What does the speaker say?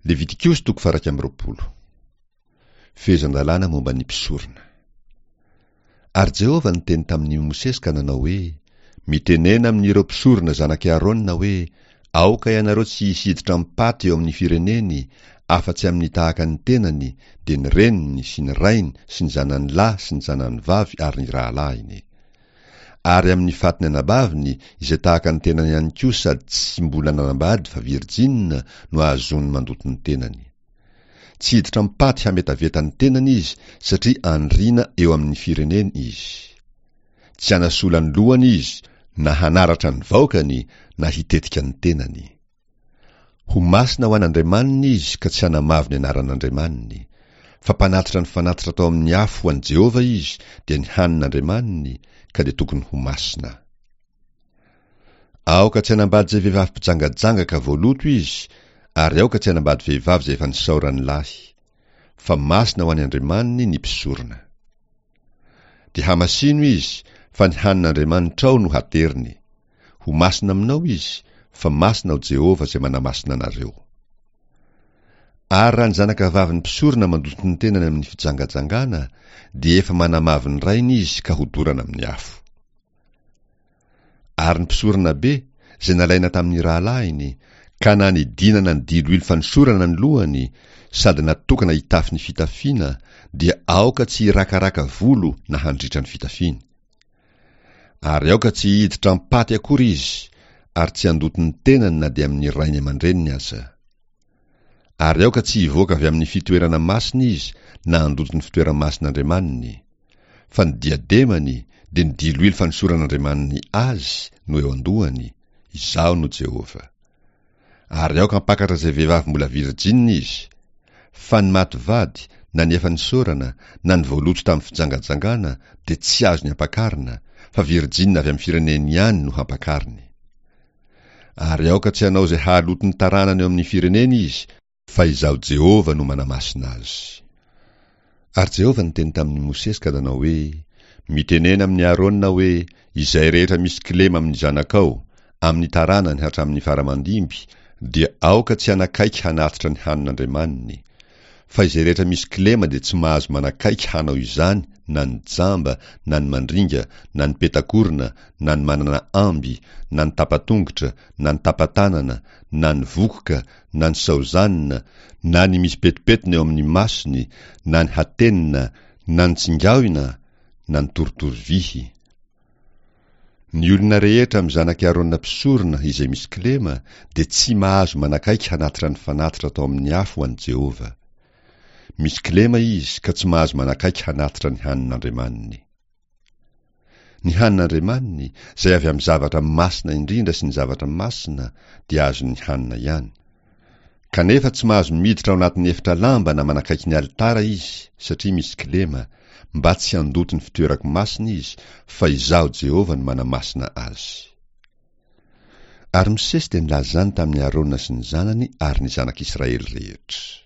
Levitikosy toko faha 21. Fehezan-dalàna momba ny mpisorona. Ary Jehovah niteny tamin'i Mosesy ka nanao hoe, Mitenena amin'ireo mpisorona zanak'i Arona hoe, Aoka ianareo tsy hisy hiditra am-paty eo amin'ny fireneny, afa-tsy amin'ny tahaka ny tenany, dia ny reniny sy ny rainy sy ny zanany lahy sy ny zanany vavy ary ny rahalahiny. Ary amin'ny fatin'ny anabaviny, izay tahaka ny tenany ihany koa sady tsy mbola nanambady fa virjina, no ahazoany mandoto ny tenany. Tsy hiditra am-paty hametaveta ny tenany izy satria andriana eo amin'ny fireneny izy. Tsy hanasola ny lohany izy na hanaratra ny vaokany na hitetika ny tenany. Ho masina ho an'Andriamaniny izy ka tsy hanamavo ny anaran'Andriamaniny. Fa mpanatitra ny fanatitra atao amin'ny afo ho an'i Jehovah izy, dia ny hanin'Andriamaniny, ka dia tokony ho masina. Aoka tsy hanambady izay vehivavy mpijangajanga ka voaloto izy, ary aoka tsy hanambady vehivavy izay efa nisaoran'ny lahy. Fa masina ho an'ny Andriamaniny ny mpisorona. Dia hamasino izy, fa ny hanin'Andriamanitrao no hateriny. Ho masina aminao izy, fa masina aho Jehovah izay manamasina anareo. Ary raha ny zanakavavin'ny mpisorona mandoto ny tenany amin'ny fijangajangana, dia efa manamavo ny rainy izy ka hodorana amin'ny afo. Ary ny mpisoronabe, izay nalaina tamin'ny rahalahiny, ka nanidinana ny diloilo fanosorana ny lohany, sady natokana hitafy ny fitafiana, dia aoka tsy hirakaraka volo na handritra ny fitafiany. Ary aoka tsy hiditra am-paty akory izy, ary tsy handoto ny tenany na dia amin'ny rainy aman-dreniny aza. Ary aoka tsy hivoaka avy amin'ny fitoerana masina izy na handoto ny fitoera-masin'Andriamaniny. Fa ny diademany, dia ny diloilo fanosoran'Andriamaniny azy, no eo an-dohany, Izaho no Jehovah. Ary aoka hampakatra izay vehivavy mbola virjinina izy. Fa ny maty vady, na ny efa nisaorana, na ny voaloto tamin'ny fijangajangana, dia tsy azony ampakarina, fa virjinina avy amin'ny fireneny ihany no hampakariny. Ary aoka tsy hanao izay hahaloto ny taranany eo amin'ny fireneny izy, fa Izaho Jehovah no manamasina azy. Ary Jehovah niteny tamin'i Mosesy ka nanao hoe, Mitenena amin'i Arona hoe, Izay rehetra misy kilema amin'ny zanakao, amin'ny taranany hatramin'ny fara aman-dimby, dia aoka tsy hanakaiky hanatitra ny hanin'Andriamaniny. Fa izay rehetra misy kilema dia tsy mahazo manakaiky hanao izany na ny jamba, na ny mandringa, na ny petakorona, na ny manana amby, na ny tapa-tongotra, na ny tapa-tanana, na ny vokoka, na ny saozanina, na ny misy petipetina eo amin'ny masony, na ny hatenina, na ny tsingaoina, na ny torotoro vihy. Ny olona rehetra amin'ny zanak'i Arona mpisorona izay misy kilema dia tsy mahazo manakaiky hanatitra ny fanatitra atao amin'ny afo ho an'i Jehovah. Misy kilema izy ka tsy mahazo manakaiky hanatitra ny hanin'Andriamaniny. Ny hanin'Andriamaniny, izay avy amin'ny zavatra masina indrindra sy ny zavatra masina, dia azony hanina ihany. Kanefa tsy mahazo miditra ao anatin'ny efitra lamba na manakaiky ny alitara izy, satria misy kilema, mba tsy handoto ny fitoerako masina izy, fa Izaho Jehovah no manamasina azy. Ary Mosesy dia nilaza izany tamin'i Arona sy ny zanany ary ny zanak'Israely rehetra.